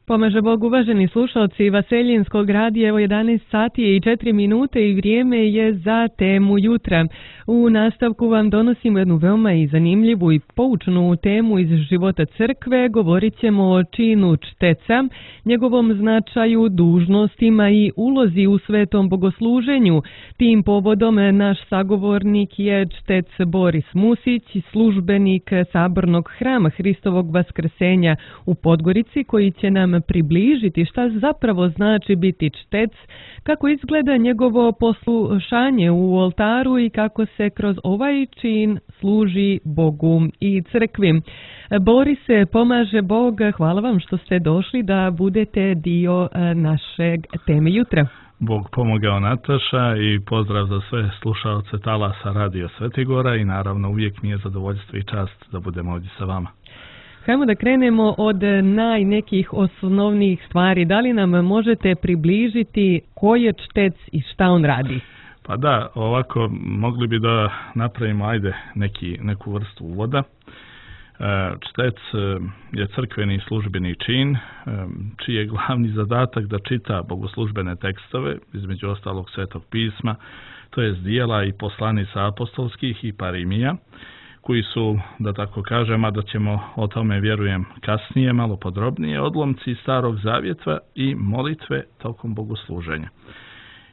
Pomaže Bog, uvaženi slušalci Vaseljinskog radija, evo 11 sati i 4 minute i vrijeme je za temu jutra. U nastavku vam donosimo jednu veoma i zanimljivu i poučnu temu iz života crkve. Govorit ćemo o činu čteca, njegovom značaju, dužnostima i ulozi u svetom bogosluženju. Tim povodom naš sagovornik je čtec Boris Musić, službenik Sabornog hrama Hristovog vaskrsenja u Podgorici, koji će nam približiti šta zapravo znači biti čtec, kako izgleda njegovo poslušanje u oltaru i kako se kroz ovaj čin služi Bogu i crkvi. Borise, pomaže Bog, hvala vam što ste došli da budete dio našeg teme jutra. Bog pomogao, Nataša, i pozdrav za sve slušaoce talasa Radio Svetigora i naravno uvijek mi je zadovoljstvo i čast da budemo ovdje sa vama. Hajmo da krenemo od nekih osnovnih stvari. Da li nam možete približiti ko je čtec i šta on radi? Pa da, ovako mogli bi da napravimo neku vrstu uvoda. Čtec je crkveni službeni čin, čiji je glavni zadatak da čita bogoslužbene tekstove, između ostalog Svetog pisma, to jest dijela i poslanica apostolskih i parimija, koji su, da tako kažem, a da ćemo o tome, vjerujem, kasnije, malo podrobnije, odlomci Starog zavjeta i molitve tokom bogosluženja.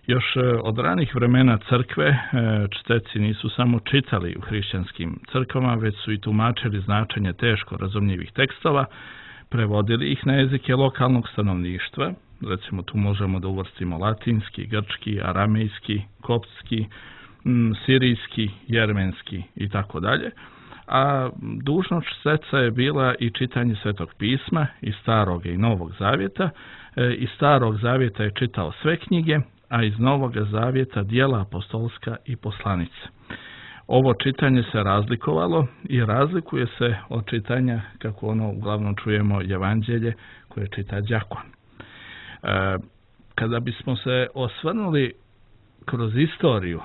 Još od ranih vremena crkve čteci nisu samo čitali u hrišćanskim crkvama, već su i tumačili značenje teško razumljivih tekstova, prevodili ih na jezike lokalnog stanovništva, recimo tu možemo da uvrstimo latinski, grčki, aramejski, koptski, sirijski, jermenski i tako dalje. A dužnost čteca je bila i čitanje Svetog pisma iz Starog i Novog zavjeta. Iz Starog zavjeta je čitao sve knjige, a iz Novog zavjeta dijela apostolska i poslanice. Ovo čitanje se razlikovalo i razlikuje se od čitanja, kako ono uglavnom čujemo, evanđelje koje čita đakon. Kada bismo se osvrnuli kroz istoriju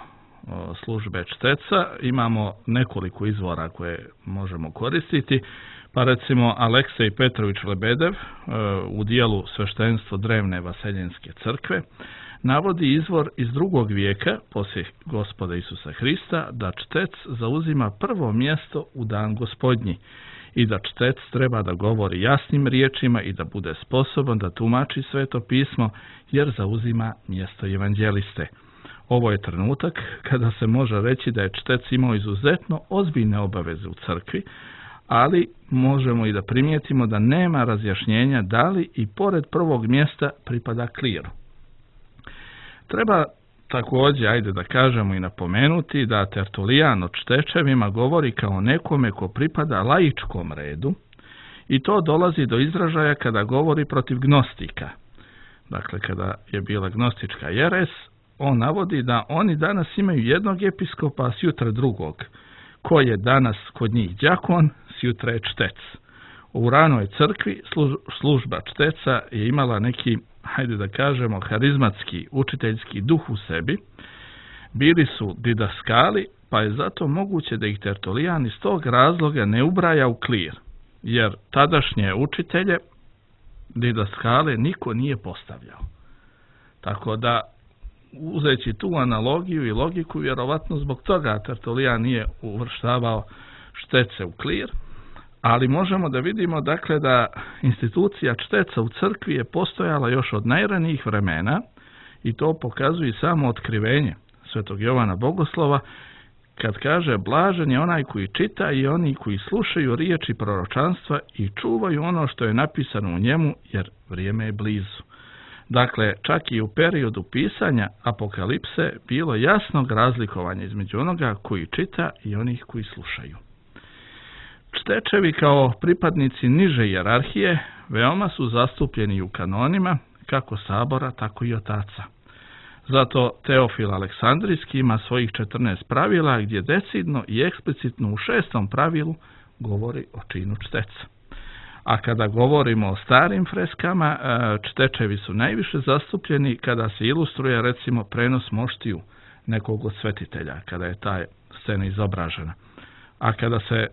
službe čteca, imamo nekoliko izvora koje možemo koristiti, pa recimo Aleksej Petrović Lebedev u dijelu Sveštenstvo drevne Vaseljenske crkve navodi izvor iz 2. vijeka poslije Gospoda Isusa Hrista da čtec zauzima prvo mjesto u dan Gospodnji i da čtec treba da govori jasnim riječima i da bude sposoban da tumači Sveto pismo jer zauzima mjesto evanđeliste. Ovo je trenutak kada se može reći da je čtec imao izuzetno ozbiljne obaveze u crkvi, ali možemo i da primijetimo da nema razjašnjenja da li i pored prvog mjesta pripada kliru. Treba također, da kažemo i napomenuti, da Tertulijan o čtečevima govori kao nekome ko pripada laičkom redu i to dolazi do izražaja kada govori protiv gnostika. Dakle, kada je bila gnostička jeres, on navodi da oni danas imaju jednog episkopa, a sjutra drugog, koji je danas kod njih đakon, sjutra je čtec. U ranoj crkvi služba čteca je imala neki, da kažemo, harizmatski, učiteljski duh u sebi. Bili su didaskali, pa je zato moguće da ih Tertulijan iz tog razloga ne ubraja u klir, jer tadašnje učitelje, didaskale, niko nije postavljao. Tako da, uzeći tu analogiju i logiku, vjerovatno zbog toga Tertulijan nije uvrštavao štece u klir, ali možemo da vidimo, dakle, da institucija čteca u crkvi je postojala još od najranijih vremena i to pokazuje samo otkrivenje Svetog Jovana Bogoslova kad kaže: blažen je onaj koji čita i oni koji slušaju riječi proročanstva i čuvaju ono što je napisano u njemu, jer vrijeme je blizu. Dakle, čak i u periodu pisanja Apokalipse bilo jasnog razlikovanja između onoga koji čita i onih koji slušaju. Čtečevi kao pripadnici niže hijerarhije veoma su zastupljeni u kanonima kako sabora, tako i otaca. Zato Teofil Aleksandrijski ima svojih 14 pravila gdje decidno i eksplicitno u 6. pravilu govori o činu čteca. A kada govorimo o starim freskama, čtečevi su najviše zastupljeni kada se ilustruje, recimo, prenos moštiju nekog od svetitelja, kada je ta scena izobražena. A kada se,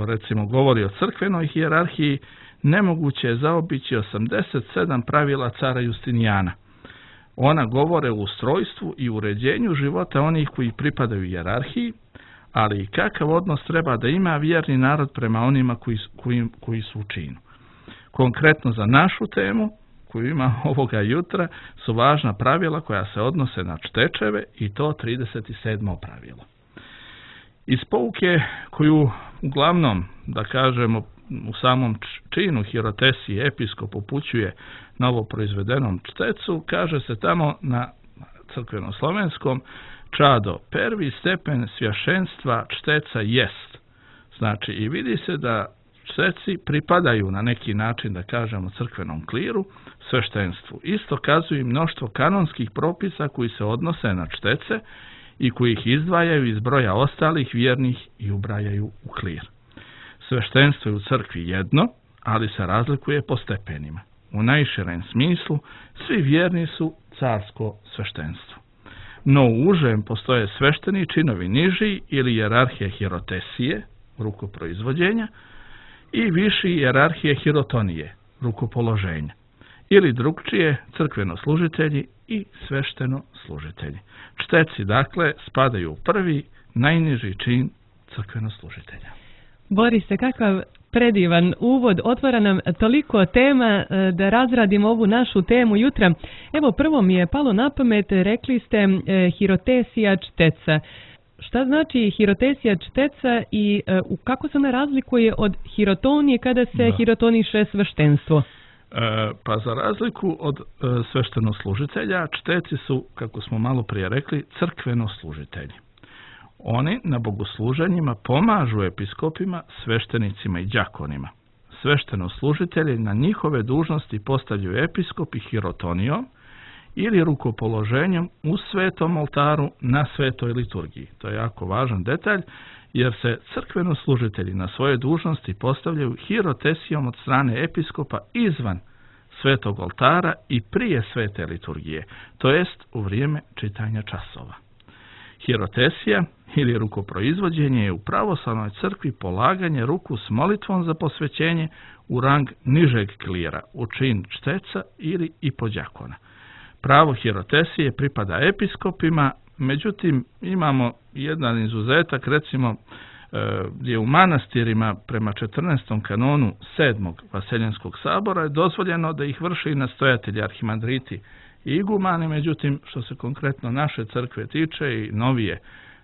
recimo, govori o crkvenoj hijerarhiji, nemoguće je zaobići 87 pravila cara Justinijana. Ona govore o ustrojstvu i uređenju života onih koji pripadaju hijerarhiji, ali i kakav odnos treba da ima vjerni narod prema onima koji su u činu. Konkretno za našu temu, koju ima ovoga jutra, su važna pravila koja se odnose na čtečeve i to 37. pravilo. Iz pouke koju uglavnom, da kažemo, u samom činu hirotesije episkop upućuje novo proizvedenom čtecu, kaže se tamo na crkveno-slovenskom: čado, prvi stepen svjašenstva čteca jest. Znači, i vidi se da čteci pripadaju na neki način, da kažemo, crkvenom kliru, sveštenstvu. Isto kazuje i mnoštvo kanonskih propisa koji se odnose na čtece i koji ih izdvajaju iz broja ostalih vjernih i ubrajaju u klir. Sveštenstvo je u crkvi jedno, ali se razlikuje po stepenima. U najširem smislu, svi vjerni su carsko sveštenstvo. No u užem postoje svešteni činovi niži ili hijerarhije hirotesije, rukoproizvođenja, i viši hijerarhije hirotonije, rukopoloženja, ili drugčije crkvenoslužitelji i sveštenoslužitelji. Čteci, dakle, spadaju u prvi, najniži čin crkvenoslužitelja. Borise, kakav predivan uvod, otvara nam toliko tema da razradimo ovu našu temu jutra. Evo, prvo mi je palo na pamet, rekli ste hirotesija čteca. Šta znači hirotesija čteca i kako se ona razlikuje od hirotonije kada se hirotoniše sveštenstvo? Pa za razliku od sveštenoslužitelja, čteci su, kako smo malo prije rekli, crkvenoslužitelji. Oni na bogosluženjima pomažu episkopima, sveštenicima i đakonima. Sveštenoslužitelji na njihove dužnosti postavljaju episkop i hirotonijom ili rukopoloženjem u svetom oltaru na svetoj liturgiji. To je jako važan detalj, jer se crkvenoslužitelji na svoje dužnosti postavljaju hirotesijom od strane episkopa izvan svetog oltara i prije svete liturgije, to jest u vrijeme čitanja časova. Hirotesija ili rukoproizvođenje je u pravoslavnoj crkvi polaganje ruku s molitvom za posvećenje u rang nižeg klira, u čin čteca ili i podjakona. Pravo hirotesije pripada episkopima, međutim imamo jedan izuzetak, recimo gdje u manastirima prema 14. kanonu 7. Vaseljenskog sabora je dozvoljeno da ih vrši nastojatelji, arhimandriti i igumani, međutim što se konkretno naše crkve tiče i novije,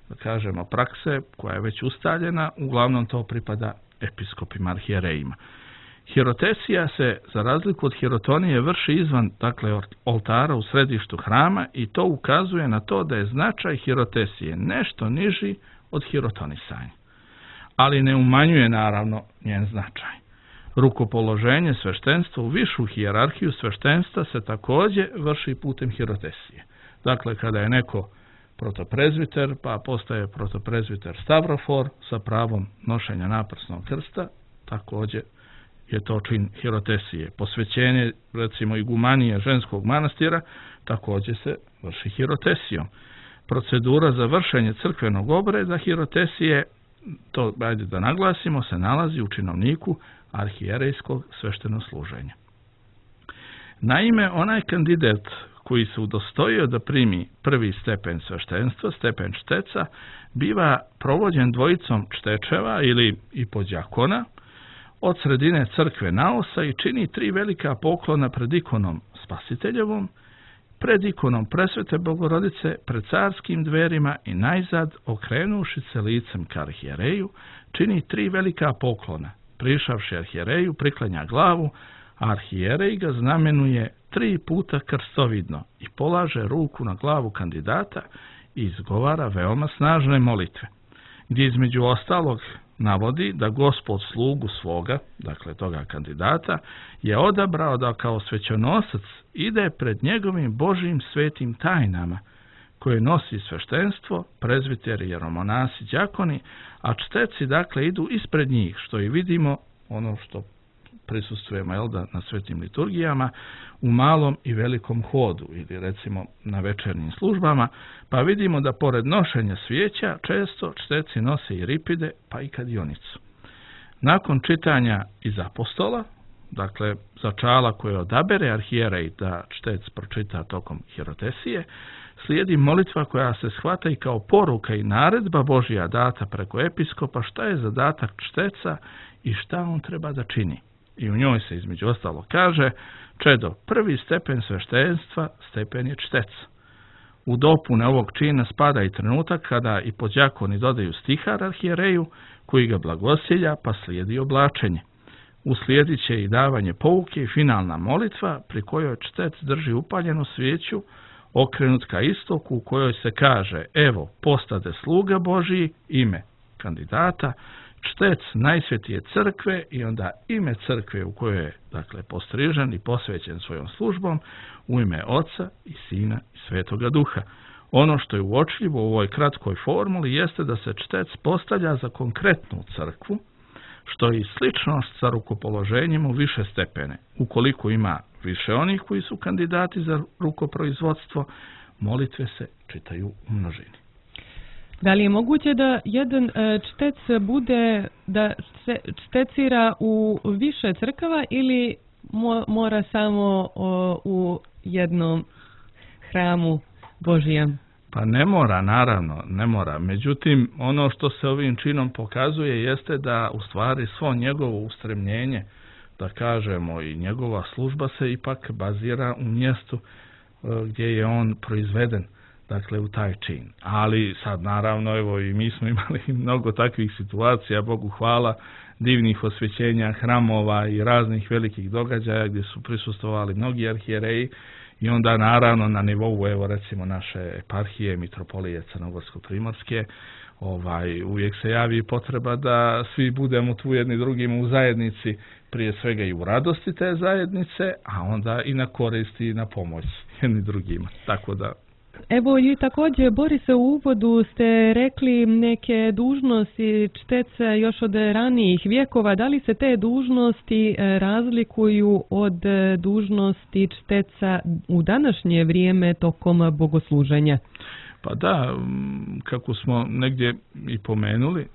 da kažemo, prakse koja je već ustaljena, uglavnom to pripada episkopima, arhijerejima. Hirotesija se, za razliku od hirotonije, vrši izvan, dakle, oltara u središtu hrama i to ukazuje na to da je značaj hirotesije nešto niži od hirotonisanja, ali ne umanjuje naravno njen značaj. Rukopoloženje sveštenstva u višu hijerarhiju sveštenstva se također vrši putem hirotesije. Dakle, kada je neko protoprezviter, pa postaje protoprezviter stavrofor sa pravom nošenja naprsnog krsta, također je to čin hirotesije. Posvećenje, recimo, igumanije ženskog manastira također se vrši hirotesijom. Procedura za vršenje crkvenog obreda hirotesije, to ajde da naglasimo, se nalazi u činovniku arhijerejskog sveštenosluženja. Naime, onaj kandidat koji se udostojio da primi prvi stepen sveštenstva, stepen čteca, biva provođen dvojicom čtečeva ili i podjakona od sredine crkve naosa i čini 3 velika poklona pred ikonom Spasiteljevom, pred ikonom Presvete Bogorodice, pred carskim dverima i najzad, okrenuši se licem ka arhijereju, čini 3 velika poklona. Prišavši arhijereju, priklanja glavu, a arhijerej ga znamenuje 3 puta krstovidno i polaže ruku na glavu kandidata i izgovara veoma snažne molitve, gdje između ostalog navodi da Gospod slugu svoga, dakle toga kandidata, je odabrao da kao svećenosac ide pred njegovim Božjim svetim tajnama, koje nosi sveštenstvo, prezviteri, jeromonasi, đakoni, a čteci, dakle, idu ispred njih, što i vidimo, ono što prisustvujemo na svetim liturgijama, u malom i velikom hodu ili recimo na večernjim službama, pa vidimo da pored nošenja svijeća često čteci nose i ripide, pa i kadionicu. Nakon čitanja iz apostola, dakle začala koje odabere arhijerej da čtec pročita tokom hirotesije, slijedi molitva koja se shvata i kao poruka i naredba Božja data preko episkopa šta je zadatak čteca i šta on treba da čini. I u njoj se između ostalo kaže: čedo, prvi stepen sveštenstva stepen je čtec. U dopune ovog čina spada i trenutak kada i podjakoni dodaju stihar arhijereju koji ga blagosilja, pa slijedi oblačenje. Uslijedit će i davanje pouke i finalna molitva pri kojoj čtec drži upaljenu svijeću okrenut ka istoku, u kojoj se kaže: evo, postade sluga Božiji, ime kandidata, čtec najsvetije crkve, i onda ime crkve u kojoj je, dakle, postrižen i posvećen svojom službom, u ime Oca i Sina i Svetoga Duha. Ono što je uočljivo u ovoj kratkoj formuli jeste da se čtec postavlja za konkretnu crkvu, što je i sličnost sa rukopoloženjem u više stepene. Ukoliko ima više onih koji su kandidati za rukoproizvodstvo, molitve se čitaju u množini. Da li je moguće da jedan čtec bude, da čtecira u više crkava ili mora samo u jednom hramu Božijem? Pa ne mora, naravno, ne mora. Međutim, ono što se ovim činom pokazuje jeste da u stvari svo njegovo ustremljenje, da kažemo, i njegova služba se ipak bazira u mjestu gdje je on proizveden, dakle u taj čin. Ali sad naravno, evo, i mi smo imali mnogo takvih situacija, Bogu hvala, divnih osvećenja hramova i raznih velikih događaja gdje su prisustvovali mnogi arhijereji. I onda naravno na nivou, evo recimo, naše eparhije, mitropolije Crnogorsko-primorske, uvijek se javi potreba da svi budemo tu jedni drugim u zajednici, prije svega i u radosti te zajednice, a onda i na koristi i na pomoć jedni drugima. Tako da... Evo i također, Borise, u uvodu ste rekli neke dužnosti čteca još od ranijih vjekova. Da li se te dužnosti razlikuju od dužnosti čteca u današnje vrijeme tokom bogosluženja? Pa da, kako smo negdje i pomenuli,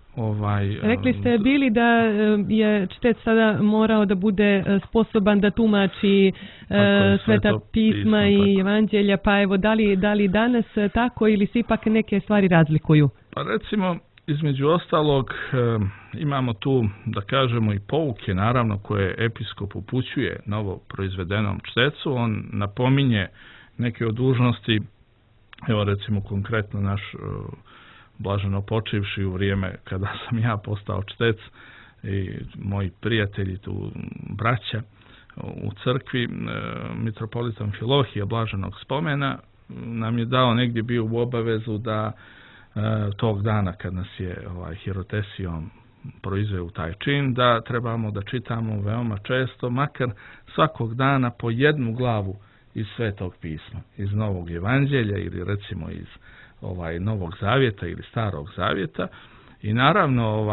rekli ste bili da je čtec sada morao da bude sposoban da tumači sveta pisma i evanđelja, pa evo, da li danas tako ili se ipak neke stvari razlikuju? Pa recimo, između ostalog, imamo tu, da kažemo, i pouke, naravno, koje episkop upućuje novo proizvedenom čtecu. On napominje neke od dužnosti, evo recimo konkretno naš blaženo počivši u vrijeme kada sam ja postao čtec i moji prijatelji tu, braća u crkvi, mitropolitan Filohije blaženog spomena nam je dao, negdje bio u obavezu da tog dana kad nas je hirotesijom proizveo u taj čin, da trebamo da čitamo veoma često, makar svakog dana, po jednu glavu iz Svetog pisma, iz Novog evanđelja ili recimo iz Novog zavjeta ili Starog zavjeta. I naravno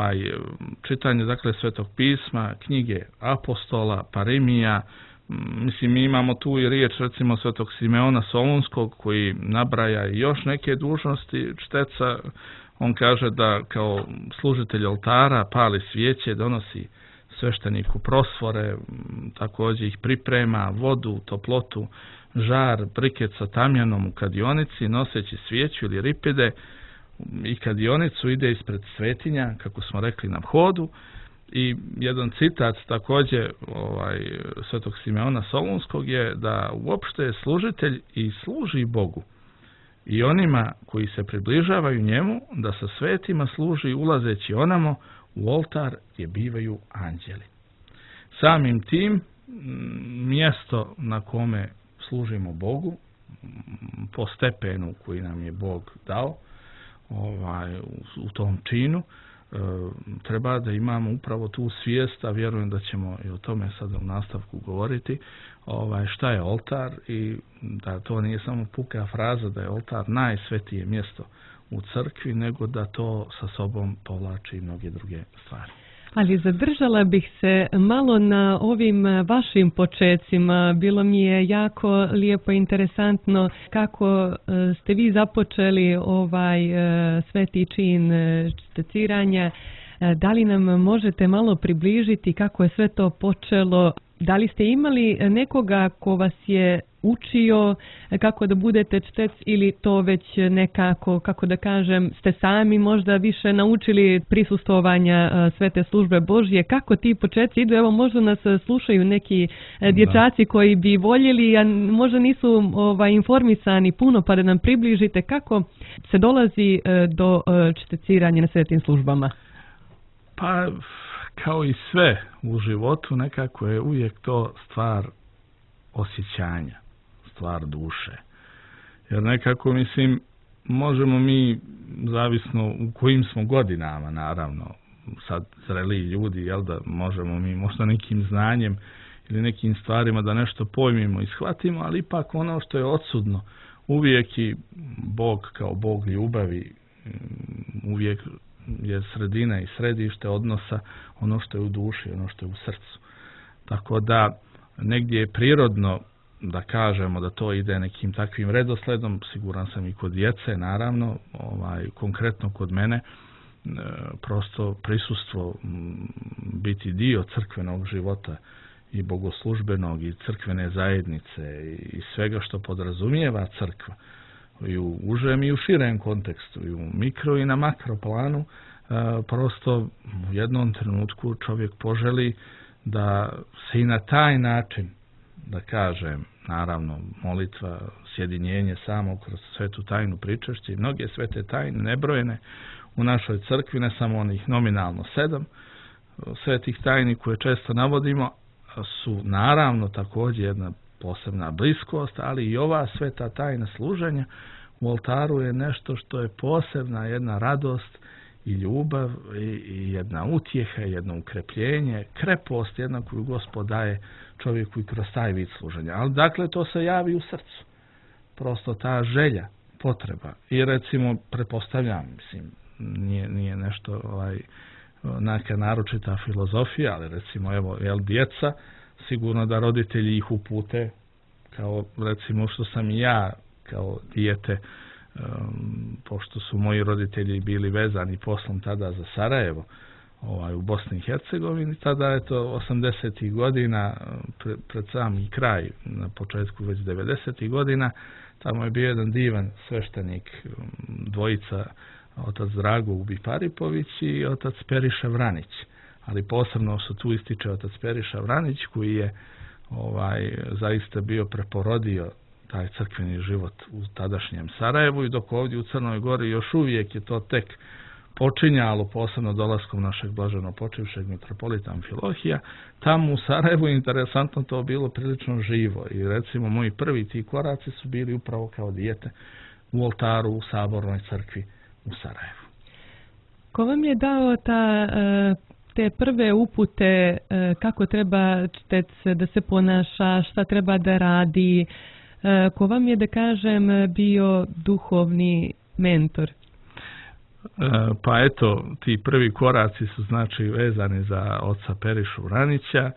čitanje, dakle, Svetog pisma, knjige apostola, parimija. Mislim, mi imamo tu i riječ recimo Svetog Simeona Solunskog koji nabraja i još neke dužnosti čteca. On kaže da kao služitelj oltara pali svijeće, donosi svešteniku prosvore, također ih priprema, vodu, toplotu, žar, briket sa tamjanom u kadionici, noseći svijeću ili ripide, i kadionicu ide ispred svetinja, kako smo rekli, na vhodu. I jedan citat također Svetog Simeona Solunskog je da uopšte služitelj i služi Bogu i onima koji se približavaju njemu, da sa svetima služi ulazeći onamo u oltar gdje bivaju anđeli. Samim tim, mjesto na kome služimo Bogu, po stepenu koji nam je Bog dao, u tom činu, treba da imamo upravo tu svijest, a vjerujem da ćemo i o tome sada u nastavku govoriti, šta je oltar, i da to nije samo puka fraza da je oltar najsvetije mjesto u crkvi, nego da to sa sobom povlači i mnoge druge stvari. Ali zadržala bih se malo na ovim vašim počecima. Bilo mi je jako lijepo i interesantno kako ste vi započeli sveti čin šteciranja. Da li nam možete malo približiti kako je sve to počelo Da li ste imali nekoga ko vas je učio kako da budete čtec ili to već nekako, kako da kažem, ste sami možda više naučili prisustvovanja Svete službe Božje? Kako ti početci idu? Evo, možda nas slušaju neki dječaci koji bi voljeli, a možda nisu informisani puno, pa da nam približite kako se dolazi do čteciranja na svetim službama. Pa, kao i sve u životu, nekako je uvijek to stvar osjećanja, stvar duše. Jer nekako, mislim, možemo mi, zavisno u kojim smo godinama, naravno, sad zreliji ljudi, jel da možemo mi možda nekim znanjem ili nekim stvarima da nešto pojmimo i shvatimo, ali ipak ono što je odsudno, uvijek i Bog kao Bog ljubavi, uvijek je sredina i središte odnosa ono što je u duši, ono što je u srcu. Tako da negdje je prirodno da kažemo da to ide nekim takvim redosledom, siguran sam i kod djece, naravno, konkretno kod mene, prosto prisustvo, biti dio crkvenog života i bogoslužbenog i crkvene zajednice i svega što podrazumijeva crkva, i u užem i u širem kontekstu, i u mikro i na makro planu, prosto u jednom trenutku čovjek poželi da se i na taj način, da kažem, naravno molitva, sjedinjenje samo kroz svetu tajnu pričašće i mnoge svete tajne nebrojene u našoj crkvi, ne samo onih nominalno 7 svetih tajni koje često navodimo, su naravno također jedna posebna bliskost, ali i ova sveta tajna služenja u oltaru je nešto što je posebna jedna radost i ljubav i jedna utjeha, jedno ukrepljenje, krepost jedna koju Gospod daje čovjeku i kroz taj vid služenja. Ali dakle to se javi u srcu. Prosto ta želja, potreba. I recimo, pretpostavljam, mislim, nije nešto neka naročita filozofija, ali recimo, evo, djeca, sigurno da roditelji ih upute, kao recimo što sam i ja kao dijete, pošto su moji roditelji bili vezani poslom tada za Sarajevo, u Bosni i Hercegovini, tada je to 80. godina, pred sami kraj, na početku već 90. godina, tamo je bio jedan divan sveštenik, dvojica, otac Drago Ubi Paripović i otac Periša Vranić. Ali posebno se tu ističe otac Periša Vranić, koji je zaista bio preporodio taj crkveni život u tadašnjem Sarajevu, i dok ovdje u Crnoj Gori još uvijek je to tek počinjalo, posebno dolaskom našeg blaženo počivšeg mitropolita Amfilohija, tamo u Sarajevu je interesantno to bilo prilično živo, i recimo moji prvi ti koraci su bili upravo kao dijete u oltaru u Sabornoj crkvi u Sarajevu. Ko vam je dao te prve upute kako treba čtec da se ponaša, šta treba da radi? Ko vam je, da kažem, bio duhovni mentor? Pa eto, ti prvi koraci su znači vezani za oca Perišu Vranića.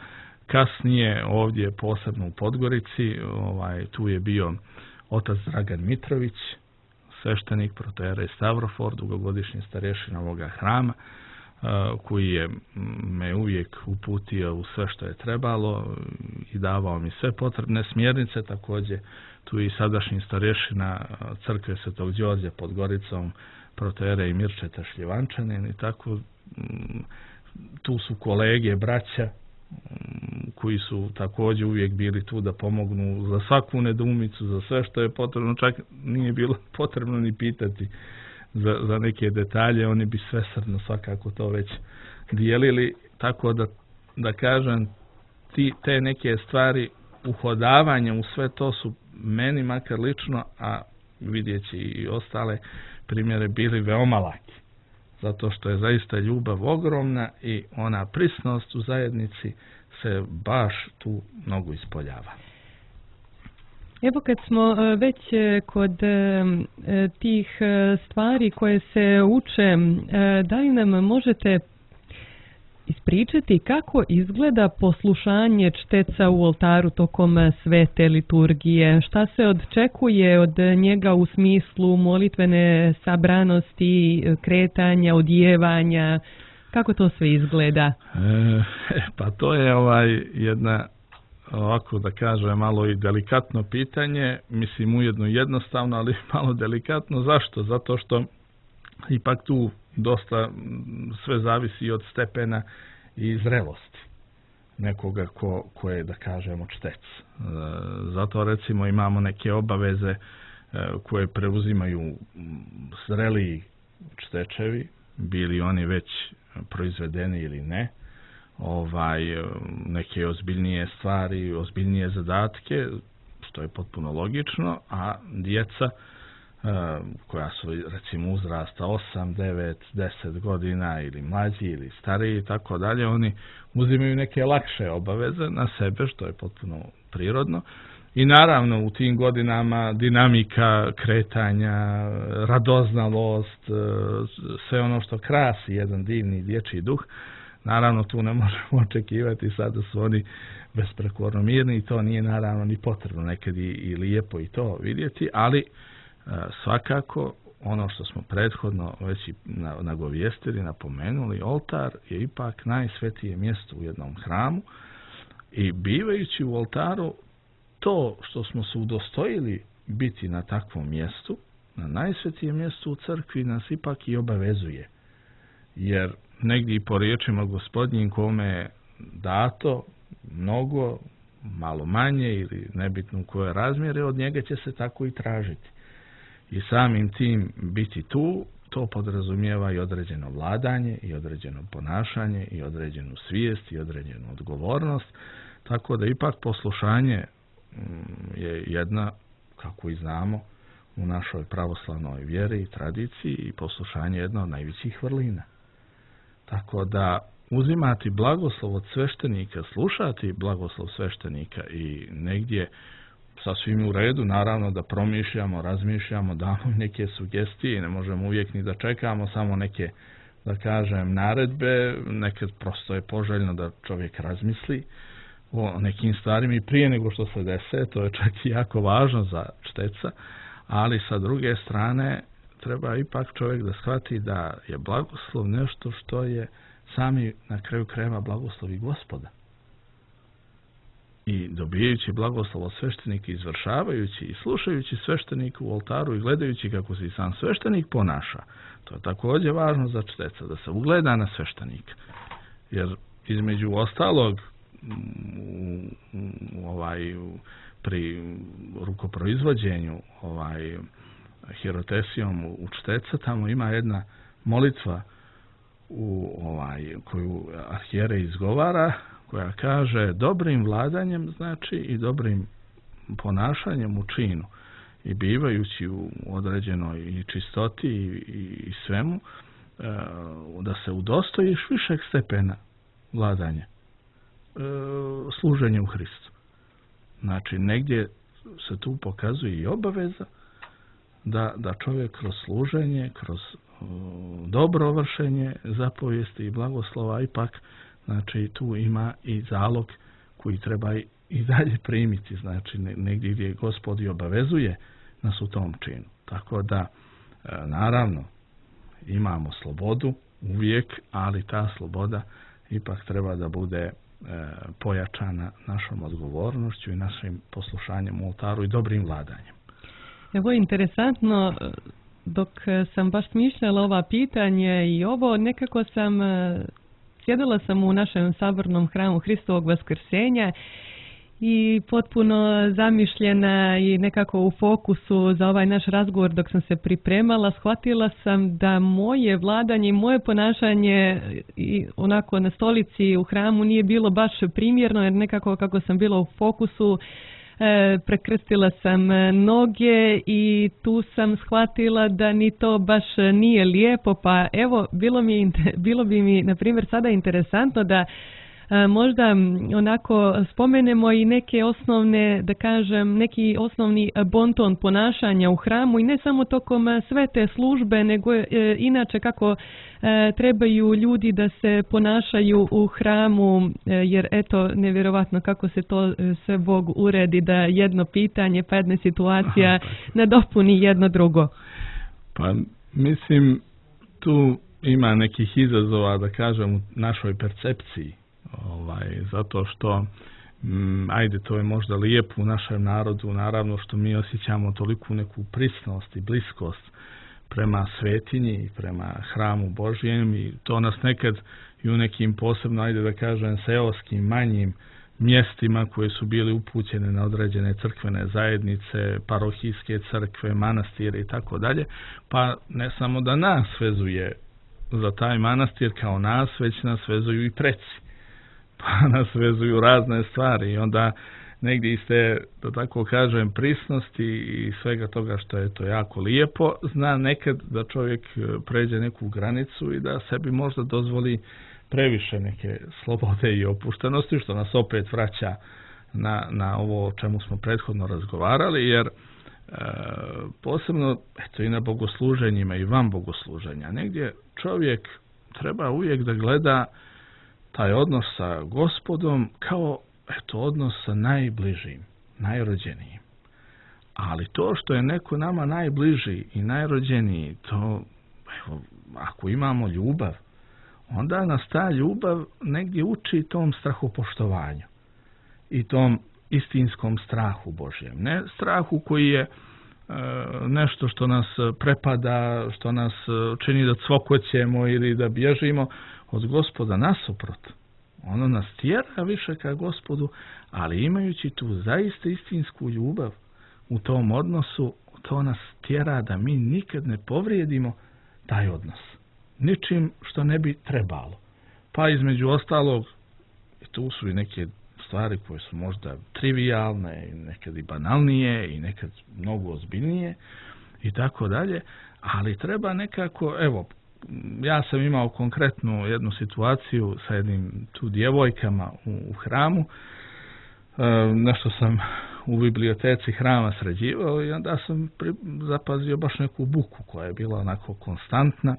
Kasnije ovdje posebno u Podgorici, tu je bio otac Dragan Mitrović, sveštenik protojerej Stavrofor, dugogodišnji starješina ovoga hrama, koji je me uvijek uputio u sve što je trebalo i davao mi sve potrebne smjernice. Također tu je i sadašnji starješina crkve Svetog Đorđa pod Goricom, protojerej Mirčeta Šljivančanin, i tako tu su kolege, braća koji su također uvijek bili tu da pomognu za svaku nedoumicu, za sve što je potrebno, čak nije bilo potrebno ni pitati za neke detalje, oni bi svesrdno svakako to već dijelili, tako da kažem, te neke stvari, uhodavanja u sve to su meni makar lično, a vidjeći i ostale primjere, bili veoma laki, zato što je zaista ljubav ogromna i ona prisnost u zajednici se baš tu mnogo ispoljava. Evo, kad smo već kod tih stvari koje se uče, da li nam možete ispričati kako izgleda poslušanje čteca u oltaru tokom svete liturgije? Šta se očekuje od njega u smislu molitvene sabranosti, kretanja, odjevanja? Kako to sve izgleda? Pa to je jedna ovako da kažem malo i delikatno pitanje, mislim ujedno jednostavno, ali malo delikatno. Zašto? Zato što ipak tu dosta sve zavisi od stepena i zrelosti nekoga ko je, da kažemo, čtec. Zato recimo imamo neke obaveze koje preuzimaju zreliji čtečevi, bili oni već proizvedeni ili ne, neke ozbiljnije stvari, ozbiljnije zadatke, što je potpuno logično, a djeca koja su recimo uzrasta 8, 9, 10 godina ili mlađi ili stariji i tako dalje, oni uzimaju neke lakše obaveze na sebe, što je potpuno prirodno. I naravno u tim godinama dinamika kretanja, radoznalost, sve ono što krasi jedan divni dječji duh, naravno tu ne možemo očekivati sad da su oni besprekorno mirni i to nije naravno ni potrebno, nekad i lijepo i to vidjeti, ali svakako ono što smo prethodno već i nagovijestili, napomenuli, oltar je ipak najsvetije mjesto u jednom hramu i bivajući u oltaru, to što smo se udostojili biti na takvom mjestu, na najsvetijem mjestu u crkvi, nas ipak i obavezuje. Jer negdje i po riječima Gospodnjim kome je dato mnogo, malo manje ili nebitno u koje razmjere, od njega će se tako i tražiti. I samim tim biti tu, to podrazumijeva i određeno vladanje, i određeno ponašanje, i određenu svijest, i određenu odgovornost, tako da ipak poslušanje je jedna, kako i znamo, u našoj pravoslavnoj vjeri i tradiciji i poslušanje je jedna od najvećih vrlina. Tako da uzimati blagoslov od sveštenika, slušati blagoslov sveštenika i negdje sasvim u redu, naravno da promišljamo, razmišljamo, damo neke sugestije, ne možemo uvijek ni da čekamo samo neke, da kažem, naredbe, nekad prosto je poželjno da čovjek razmisli o nekim stvarima i prije nego što se dese, to je čak i jako važno za čteca, ali sa druge strane treba ipak čovjek da shvati da je blagoslov nešto što je sami na kraju krajeva blagoslovi Gospoda. I dobijajući blagoslov od sveštenika, izvršavajući i slušajući sveštenika u oltaru i gledajući kako se i sam sveštenik ponaša, to je također važno za čteca, da se ugleda na sveštenika. Jer između ostalog pri rukoproizvođenju hirotesijom u čteca, tamo ima jedna molitva koju arhijerej izgovara, koja kaže dobrim vladanjem, znači i dobrim ponašanjem u činu i bivajući u određenoj i čistoti i svemu, da se udostojiš višeg stepena vladanja, služenje u Hristu. Znači, negdje se tu pokazuje i obaveza da čovjek kroz služenje, kroz dobro vršenje zapovijesti i blagoslova ipak, znači tu ima i zalog koji treba i dalje primiti, znači negdje gdje Gospod i obavezuje nas u tom činu. Tako da, naravno, imamo slobodu uvijek, ali ta sloboda ipak treba da bude pojačana našom odgovornošću i našim poslušanjem u oltaru i dobrim vladanjem. Evo, interesantno, dok sam baš smišljala ova pitanje i ovo, nekako sjedila sam u našem sabornom hramu Hristovog Vaskrsenja i potpuno zamišljena i nekako u fokusu za ovaj naš razgovor dok sam se pripremala, shvatila sam da moje vladanje i moje ponašanje i onako na stolici u hramu nije bilo baš primjerno, jer nekako kako sam bila u fokusu, prekrstila sam noge i tu sam shvatila da ni to baš nije lijepo, pa evo bilo bi mi na primjer sada interesantno da možda onako spomenemo i neke osnovne, da kažem, neki osnovni bonton ponašanja u hramu i ne samo tokom sve te službe, nego inače kako trebaju ljudi da se ponašaju u hramu, jer eto, nevjerovatno kako se to sve Bog uredi da jedno pitanje pa jedna situacija nadopuni jedno drugo. Pa mislim, tu ima nekih izazova, da kažem, u našoj percepciji. Zato što Ajde, to je možda lijepo u našem narodu, naravno što mi osjećamo toliku neku prisnost i bliskost prema svetinji i prema hramu Božjem i to nas nekad i u nekim posebno, ajde da kažem, seoskim, manjim mjestima koje su bili upućene na određene crkvene zajednice, parohijske crkve, manastire i tako dalje, pa ne samo da nas vezuje za taj manastir kao nas, već nas vezuju i preci. Pa nas vezuju razne stvari i onda negdje iste, da tako kažem, prisnosti i svega toga što je to jako lijepo, zna nekad da čovjek pređe neku granicu i da sebi možda dozvoli previše neke slobode i opuštenosti, što nas opet vraća na ovo o čemu smo prethodno razgovarali, jer posebno eto, i na bogosluženjima i van bogosluženja, negdje čovjek treba uvijek da gleda taj odnos sa Gospodom kao eto, odnos sa najbližim, najrođenijim. Ali to što je neko nama najbliži i najrođeniji, to, evo, ako imamo ljubav, onda nas ta ljubav negdje uči tom strahopoštovanju i tom istinskom strahu Božjem. Ne strahu koji je nešto što nas prepada, što nas čini da cvokoćemo ili da bježimo od Gospoda, nasuprot. Ono nas tjera više ka Gospodu, ali imajući tu zaista istinsku ljubav u tom odnosu, to nas tjera da mi nikad ne povrijedimo taj odnos. Ničim što ne bi trebalo. Pa između ostalog, tu su i neke stvari koje su možda trivijalne, nekad i banalnije i nekad mnogo ozbiljnije i tako dalje, ali treba nekako, evo, ja sam imao konkretnu jednu situaciju sa jednim tu djevojkama u hramu, nešto sam u biblioteci hrama sređivao i onda sam zapazio baš neku buku koja je bila onako konstantna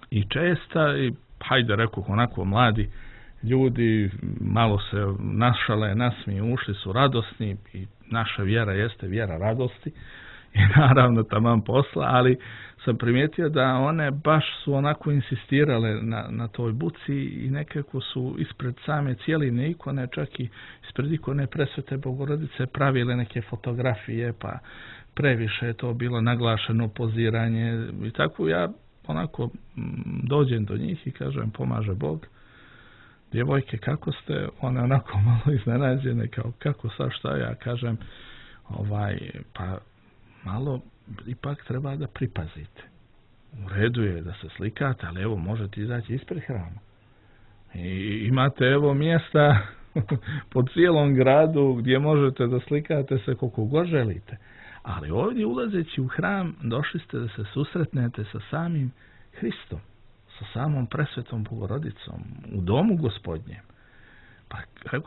i česta i hajde rekoh onako mladi ljudi malo se našale, nasmiju, ušli su radosni i naša vjera jeste vjera radosti i naravno taman posla, ali sam primijetio da one baš su onako insistirale na toj buci i nekako su ispred same cijeline ikone, čak i ispred ikone Presvete Bogorodice pravile neke fotografije, pa previše je to bilo naglašeno poziranje i tako ja onako dođem do njih i kažem pomaže Bog. Djevojke, kako ste? One onako malo iznenađene, kao kako sad šta ja kažem, pa malo ipak treba da pripazite. U redu je da se slikate, ali evo možete izaći ispred hrama. I imate evo mjesta po cijelom gradu gdje možete da slikate se koliko god želite. Ali ovdje ulazeći u hram došli ste da se susretnete sa samim Hristom, sa samom Presvetom Bogorodicom, u domu Gospodnjem. Pa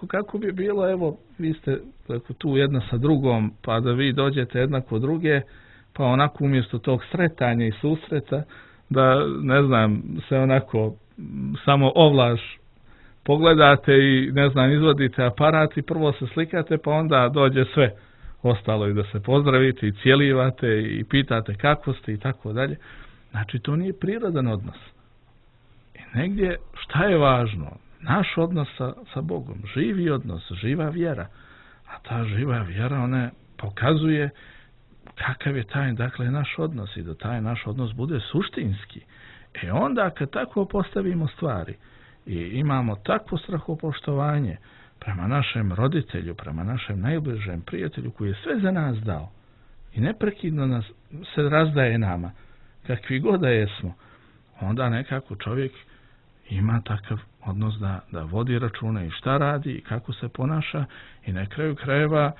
kako bi bilo, evo, vi ste tu jedna sa drugom, pa da vi dođete jedna kod druge, pa onako umjesto tog sretanja i susreta, da, ne znam, se onako samo ovlaž pogledate i, ne znam, izvadite aparat i prvo se slikate, pa onda dođe sve ostalo i da se pozdravite i cijelivate i pitate kako ste i tako dalje. Znači, to nije prirodan odnos. I negdje, šta je važno? Naš odnos sa Bogom, živi odnos, živa vjera. A ta živa vjera, ona pokazuje kakav je taj, dakle, naš odnos i da taj naš odnos bude suštinski. Onda kad tako postavimo stvari i imamo takvo strahopoštovanje prema našem roditelju, prema našem najbližem prijatelju koji je sve za nas dao i neprekidno nas se razdaje nama, kakvi god da jesmo, onda nekako čovjek ima takav odnos da vodi račune i šta radi i kako se ponaša i na kraju krajeva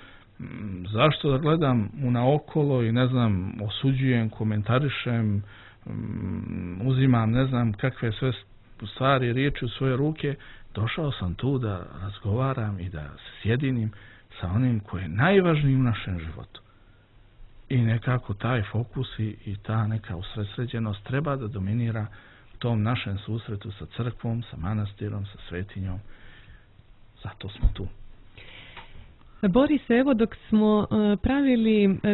zašto da gledam naokolo i ne znam, osuđujem, komentarišem, uzimam ne znam kakve sve stvari, riječi u svoje ruke. Došao sam tu da razgovaram i da se sjedinim sa onim koji je najvažniji u našem životu. I nekako taj fokus i ta neka usredsređenost treba da dominira tom našem susretu sa crkvom, sa manastirom, sa svetinjom. Zato smo tu. Boris, evo dok smo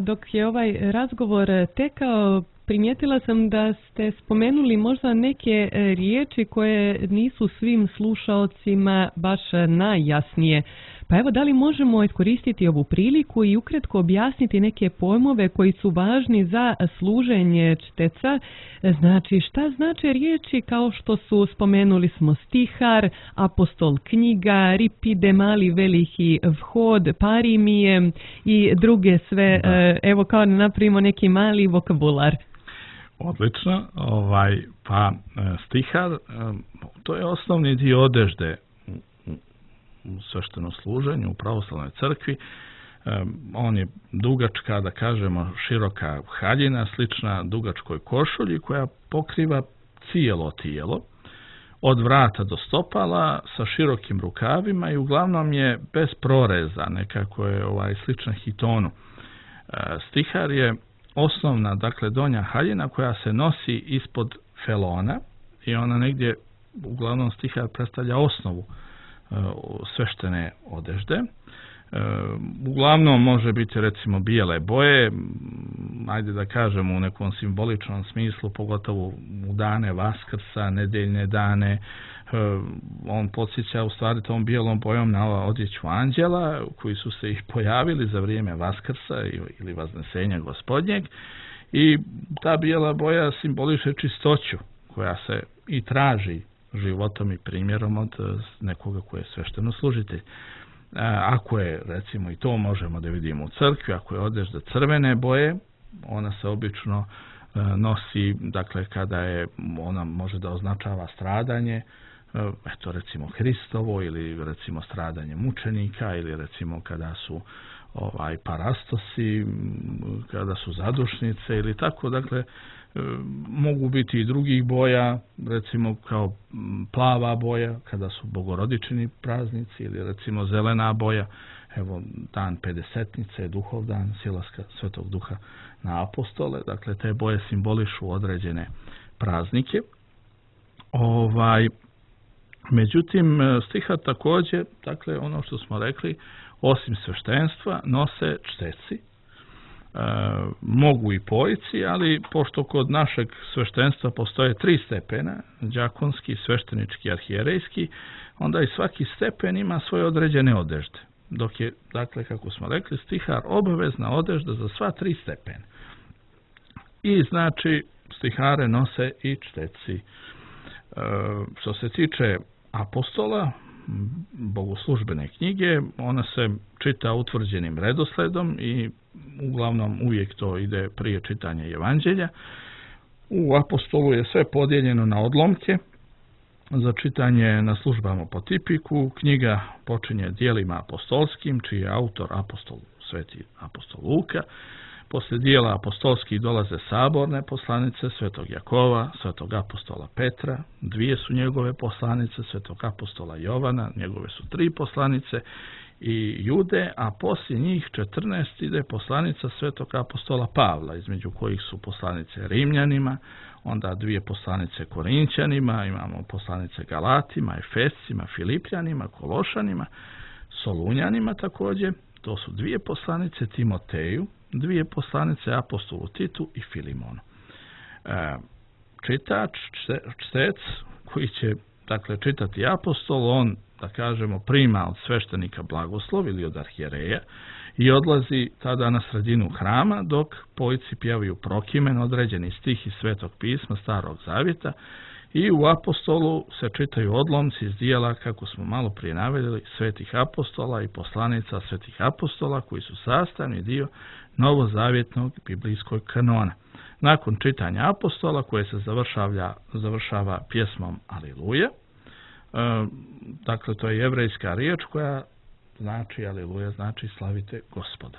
dok je ovaj razgovor tekao, primijetila sam da ste spomenuli možda neke riječi koje nisu svim slušaocima baš najjasnije. Pa evo, da li možemo iskoristiti ovu priliku i ukratko objasniti neke pojmove koji su važni za služenje čteca? Znači, šta znače riječi kao što su, spomenuli smo, stihar, apostol, knjiga, ripide, mali, veliki, vhod, parimije i druge sve, evo kao napravimo neki mali vokabular. Odlično, pa stihar, to je osnovni dio odežde u sveštenom služenju, u pravoslavnoj crkvi. On je dugačka, da kažemo, široka haljina, slična dugačkoj košulji koja pokriva cijelo tijelo, od vrata do stopala, sa širokim rukavima i uglavnom je bez proreza, nekako je slična hitonu. Stihar je osnovna, dakle, donja haljina koja se nosi ispod felona i ona negdje, uglavnom stihar predstavlja osnovu sveštene odežde. Uglavnom može biti, recimo, bijele boje, ajde da kažemo u nekom simboličnom smislu, pogotovo u dane Vaskrsa, nedeljne dane. On podsjeća u stvari tom bijelom bojom na odjeću anđela koji su se ih pojavili za vrijeme Vaskrsa ili Vaznesenja Gospodnjeg, i ta bijela boja simboliše čistoću koja se i traži životom i primjerom od nekoga koji je svešteno služitelj. Ako je, recimo, i to možemo da vidimo u crkvi, ako je odežda crvene boje, ona se obično nosi, dakle, kada je, ona može da označava stradanje, eto, recimo Hristovo, ili recimo stradanje mučenika, ili recimo kada su parastosi, kada su zadušnice ili tako, dakle, mogu biti i drugih boja, recimo kao plava boja kada su bogorodični praznici, ili recimo zelena boja, evo dan Pedesetnice, duhovdan, silaska Svetog Duha na apostole, dakle te boje simbolišu određene praznike. Međutim, stihar također, dakle ono što smo rekli, osim sveštenstva nose čteci. Mogu i pojici, ali pošto kod našeg sveštenstva postoje 3 stepena, đakonski, sveštenički, arhijerejski, onda i svaki stepen ima svoje određene odežde. Dok je, dakle, kako smo rekli, stihar obavezna odežda za sva 3 stepena. I znači stihare nose i čteci. Što se tiče apostola, bogoslužbene knjige, ona se čita utvrđenim redosledom i uglavnom uvijek to ide prije čitanja evanđelja. U apostolu je sve podijeljeno na odlomke za čitanje na službama po tipiku. Knjiga počinje djelima apostolskim, čiji je autor sveti apostol Luka. Poslije dijela apostolskih dolaze saborne poslanice Svetog Jakova, Svetog apostola Petra, 2 su njegove poslanice, Svetog apostola Jovana, njegove su 3 poslanice, i Jude, a poslije njih 14 ide poslanica Svetog apostola Pavla, između kojih su poslanice Rimljanima, onda 2 poslanice Korinćanima, imamo poslanice Galatima, Efescima, Filipljanima, Kološanima, Solunjanima također, to su 2 poslanice Timoteju, 2 poslanice apostolu Titu i Filimonu. Čitač, čtec, koji će, dakle, čitati apostol, on, da kažemo, prima od sveštenika blagoslov ili od arhijereja i odlazi tada na sredinu hrama, dok pojci pjevaju prokimen, određeni stih iz Svetog pisma Starog Zavjeta, i u apostolu se čitaju odlomci iz dijela, kako smo malo prije naveli, svetih apostola i poslanica svetih apostola, koji su sastavni dio novozavjetnog biblijskog kanona. Nakon čitanja apostola, koje se završava pjesmom Aliluja, dakle to je jevrejska riječ koja znači Aliluja, znači slavite Gospoda.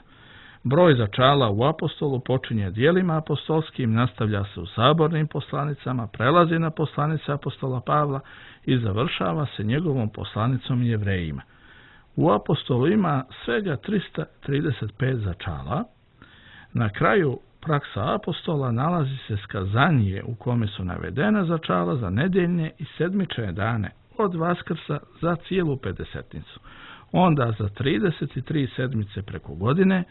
Broj začala u apostolu počinje djelima apostolskim, nastavlja se u sabornim poslanicama, prelazi na poslanice apostola Pavla i završava se njegovom poslanicom Jevrejima. U apostolu ima svega 335 začala. Na kraju praksa apostola nalazi se skazanje u kome su navedena začala za nedeljne i sedmične dane od Vaskrsa za cijelu Pedesetnicu. Onda za 33 sedmice preko godine,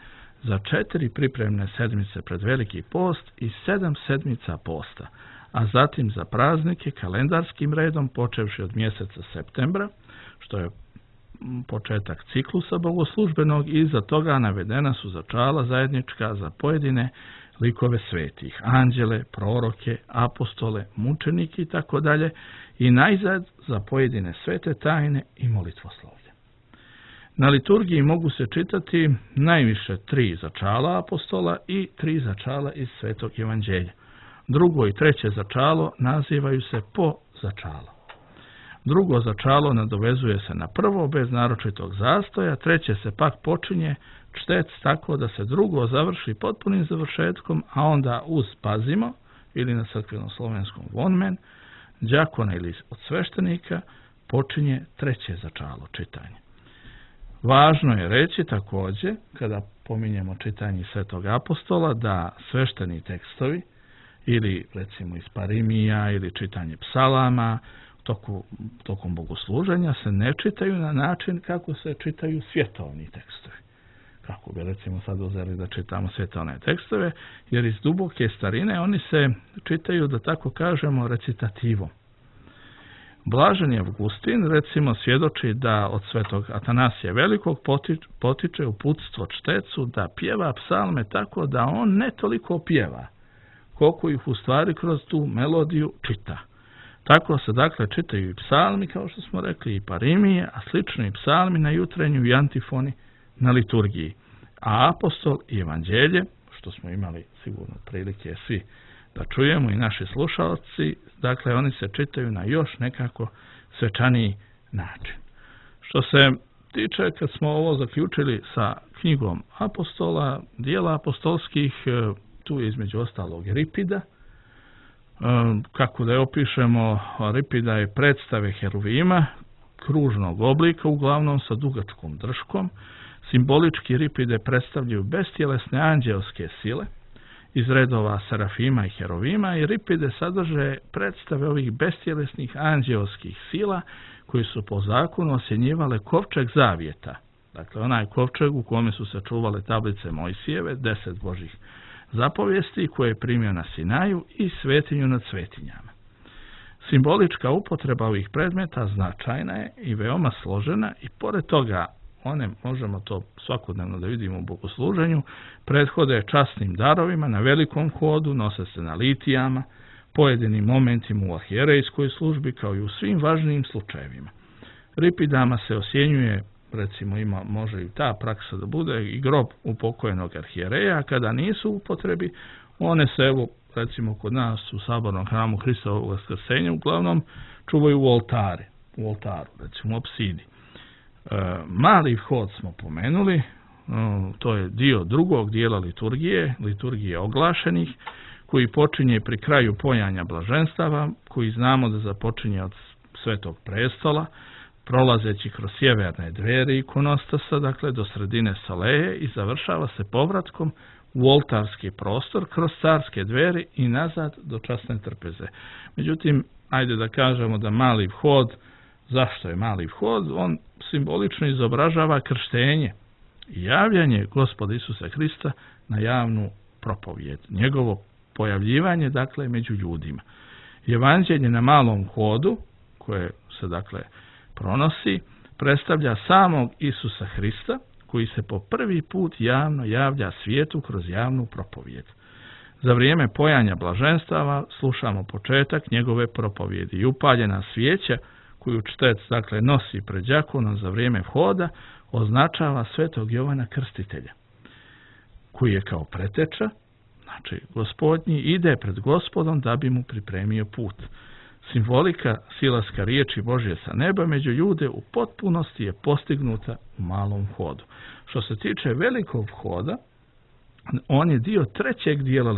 za 4 pripremne sedmice pred Veliki post i 7 sedmica posta, a zatim za praznike kalendarskim redom počevši od mjeseca septembra, što je početak ciklusa bogoslužbenog i iza toga navedena su začala zajednička za pojedine likove svetih, anđele, proroke, apostole, mučenike i tako dalje, i najzad za pojedine svete tajne i molitvoslovlje. Na liturgiji mogu se čitati najviše 3 začala apostola i 3 začala iz Svetog evanđelja. Drugo i treće začalo nazivaju se po začalo. Drugo začalo nadovezuje se na prvo bez naročitog zastoja, treće se pak počinje čtec tako da se drugo završi potpunim završetkom, a onda uz pazimo, ili na crkveno-slovenskom vonmen, đakona ili od sveštenika, počinje treće začalo čitanje. Važno je reći također, kada pominjemo čitanje Svetog apostola, da svešteni tekstovi, ili recimo iz Parimija, ili čitanje psalama, tokom bogosluženja se ne čitaju na način kako se čitaju svjetovni tekstovi. Kako bi recimo sad uzeli da čitamo svjetovne tekstove, jer iz duboke starine oni se čitaju, da tako kažemo, recitativom. Blaženi Avgustin recimo svjedoči da od svetog Atanasija Velikog potiče uputstvo čtecu da pjeva psalme tako da on ne toliko pjeva, koliko ih u stvari kroz tu melodiju čita. Tako se dakle čitaju i psalmi, kao što smo rekli, i parimije, a slično i psalmi na jutrenju i antifoni na liturgiji. A apostol i evanđelje, što smo imali sigurno prilike svi da čujemo i naši slušalci, dakle oni se čitaju na još nekako svečaniji način. Što se tiče, kad smo ovo zaključili sa knjigom apostola, dijela apostolskih, tu je između ostalog Ripida. Kako da je opišemo, Ripida je predstave heruvima, kružnog oblika, uglavnom sa dugačkom drškom. Simbolički Ripide predstavljaju bestjelesne anđelske sile iz redova serafima i heruvima, i Ripide sadrže predstave ovih bestjelesnih anđelskih sila koji su po zakonu osjenjivale kovčeg zavjeta. Dakle, onaj kovčeg u kome su se čuvale tablice Mojsijeve, 10 Božih zapovijesti koje je primio na Sinaju, i svetinju nad svetinjama. Simbolička upotreba ovih predmeta značajna je i veoma složena, i pored toga one, možemo to svakodnevno da vidimo u bogosluženju, prethode časnim darovima na velikom hodu, nose se na litijama, pojedinim momentima u arhijerejskoj službi, kao i u svim važnijim slučajevima. Ripidama se osjenjuje, recimo može i ta praksa da bude, i grob upokojenog arhijereja, a kada nisu u upotrebi, one se, evo, recimo kod nas u sabornom hramu Hristovog vaskrsenja, uglavnom čuvaju u oltaru, recimo u apsidi. Mali vhod smo pomenuli, to je dio drugog dijela liturgije oglašenih, koji počinje pri kraju pojanja blaženstava, koji znamo da započinje od Svetog prestola, prolazeći kroz sjeverne dveri ikonostasa, dakle do sredine Saleje, i završava se povratkom u oltarski prostor kroz carske dveri i nazad do časne trpeze. Međutim, ajde da kažemo da mali vhod, zašto je mali vhod? On simbolično izobražava krštenje i javljanje Gospoda Isusa Hrista na javnu propovijed. Njegovo pojavljivanje, dakle, među ljudima. Evanđelje na malom hodu, koje se, dakle, pronosi, predstavlja samog Isusa Hrista, koji se po prvi put javno javlja svijetu kroz javnu propovijed. Za vrijeme pojanja blaženstava slušamo početak njegove propovijedi i upaljena svijeća koju čtec, dakle, nosi pred đakonom za vrijeme vhoda, označava Svetog Jovana Krstitelja, koji je kao preteča, znači Gospodnji, ide pred Gospodom da bi mu pripremio put. Simbolika silaska riječi Božje sa neba među ljude u potpunosti je postignuta u malom hodu. Što se tiče velikog hoda, on je dio trećeg dijela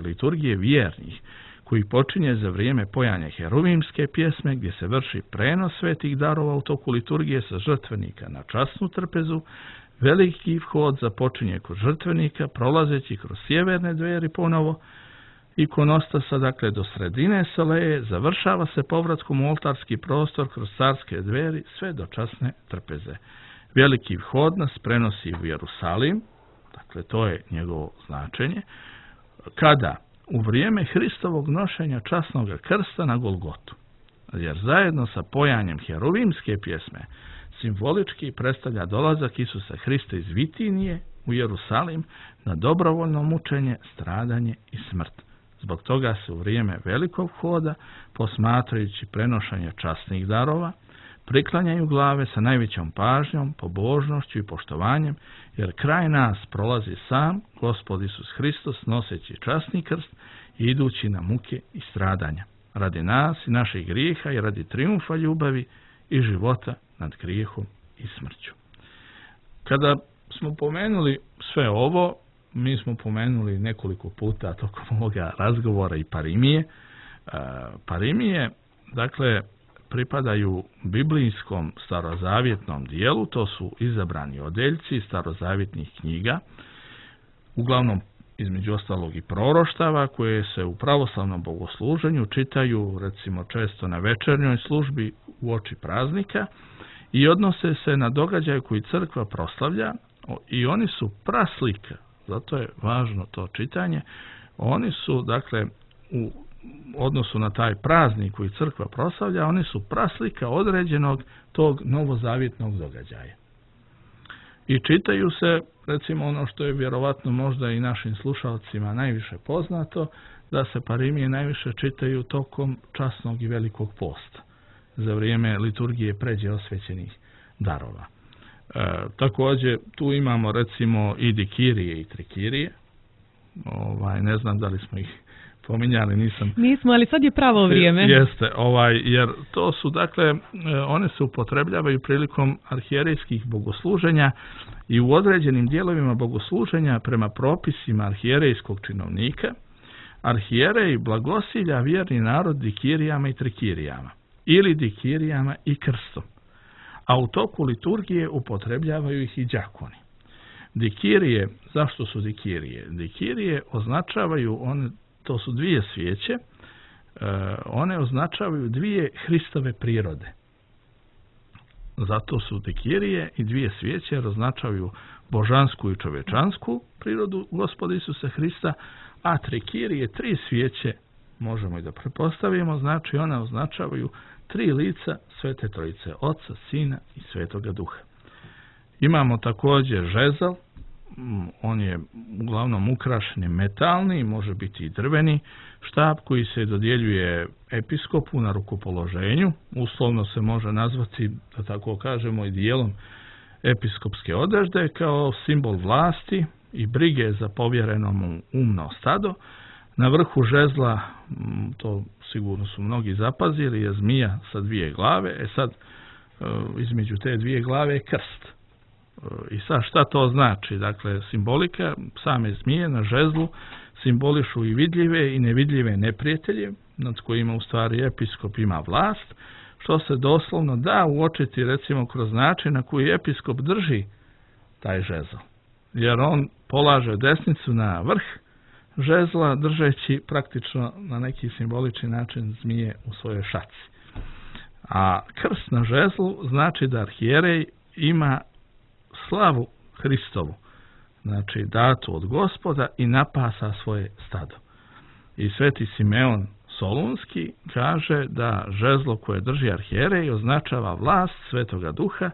liturgije vjernih, koji počinje za vrijeme pojanja heruvimske pjesme, gdje se vrši prenos svetih darova u toku liturgije sa žrtvenika na časnu trpezu. Veliki vhod započinje kod žrtvenika, prolazeći kroz sjeverne dveri ponovo ikonostasa, dakle do sredine Saleje, završava se povratkom u oltarski prostor kroz carske dveri sve do časne trpeze. Veliki vhod nas prenosi u Jerusalim, dakle to je njegovo značenje, kada u vrijeme Hristovog nošenja časnog krsta na Golgotu, jer zajedno sa pojanjem heruvimske pjesme simbolički predstavlja dolazak Isusa Hrista iz Vitinije u Jerusalim na dobrovoljno mučenje, stradanje i smrt. Zbog toga se u vrijeme velikog hoda, posmatrajući prenošenje časnih darova, priklanjaju glave sa najvećom pažnjom, pobožnošću i poštovanjem, jer kraj nas prolazi sam Gospod Isus Hristos noseći časni krst i idući na muke i stradanja, radi nas i naših grijeha i radi trijumfa ljubavi i života nad grijehom i smrću. Kada smo pomenuli sve ovo, mi smo pomenuli nekoliko puta tokom ovoga razgovora i parimije. Parimije, dakle, pripadaju biblijskom starozavjetnom dijelu, to su izabrani odeljci starozavjetnih knjiga, uglavnom između ostalog i proroštava, koje se u pravoslavnom bogosluženju čitaju recimo često na večernjoj službi uoči praznika i odnose se na događaje koji crkva proslavlja i oni su praslika, zato je važno to čitanje, oni su dakle u odnosu na taj praznik koji crkva proslavlja, oni su praslika određenog tog novozavjetnog događaja. I čitaju se, recimo ono što je vjerovatno možda i našim slušalcima najviše poznato, da se parimije najviše čitaju tokom časnog i velikog posta, za vrijeme liturgije pređe osvećenih darova. Također tu imamo recimo i dikirije i trikirije, ne znam da li smo ih pominjali, nismo, ali sad je pravo vrijeme. Jeste, jer to su, dakle, one se upotrebljavaju prilikom arhijerejskih bogosluženja i u određenim dijelovima bogosluženja prema propisima arhijerejskog činovnika, arhijerej blagosilja vjerni narod dikirijama i trikirijama, ili dikirijama i krstom, a u toku liturgije upotrebljavaju ih i đakoni. Dikirije, zašto su dikirije? Dikirije označavaju to su dvije svijeće, one označavaju dvije Hristove prirode. Zato su dikirije i dvije svijeće jer označavaju božansku i čovječansku prirodu Gospoda Isusa Hrista, a trikirije, tri svijeće, možemo i da pretpostavimo, znači one označavaju tri lica Svete Trojice, Oca, Sina i Svetoga Duha. Imamo također žezal, on je uglavnom ukrašen metalni, može biti i drveni štap koji se dodjeljuje episkopu na rukopoloženju, uslovno se može nazvati, da tako kažemo, i dijelom episkopske odežde kao simbol vlasti i brige za povjereno mu umno stado. Na vrhu žezla, to sigurno su mnogi zapazili, je zmija sa dvije glave, sad između te dvije glave je krst. I sad šta to znači? Dakle, simbolika same zmije na žezlu simbolišu i vidljive i nevidljive neprijatelje, nad kojima u stvari episkop ima vlast, što se doslovno da uočiti recimo kroz način na koji episkop drži taj žezl. Jer on polaže desnicu na vrh žezla, držeći praktično na neki simbolični način zmije u svojoj šaci. A krst na žezlu znači da arhijerej ima slavu Hristovu, znači datu od Gospoda, i napasa svoje stado. I sveti Simeon Solunski kaže da žezlo koje drži arhijerej označava vlast Svetoga Duha,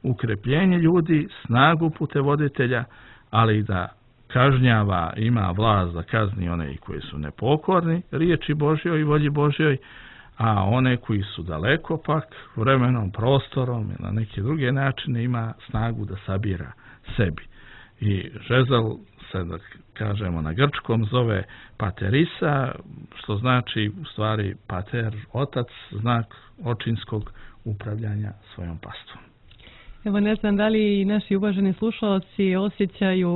ukrepljenje ljudi, snagu putevoditelja, ali i da kažnjava, ima vlast da kazni one koji su nepokorni riječi Božjoj i volji Božjoj, a one koji su daleko pak vremenom, prostorom i na neke druge načine ima snagu da sabira sebi. I žezal se, da kažemo na grčkom, zove paterisa, što znači u stvari pater, otac, znak očinskog upravljanja svojom pastvom. Evo, ne znam da li naši uvaženi slušalci osjećaju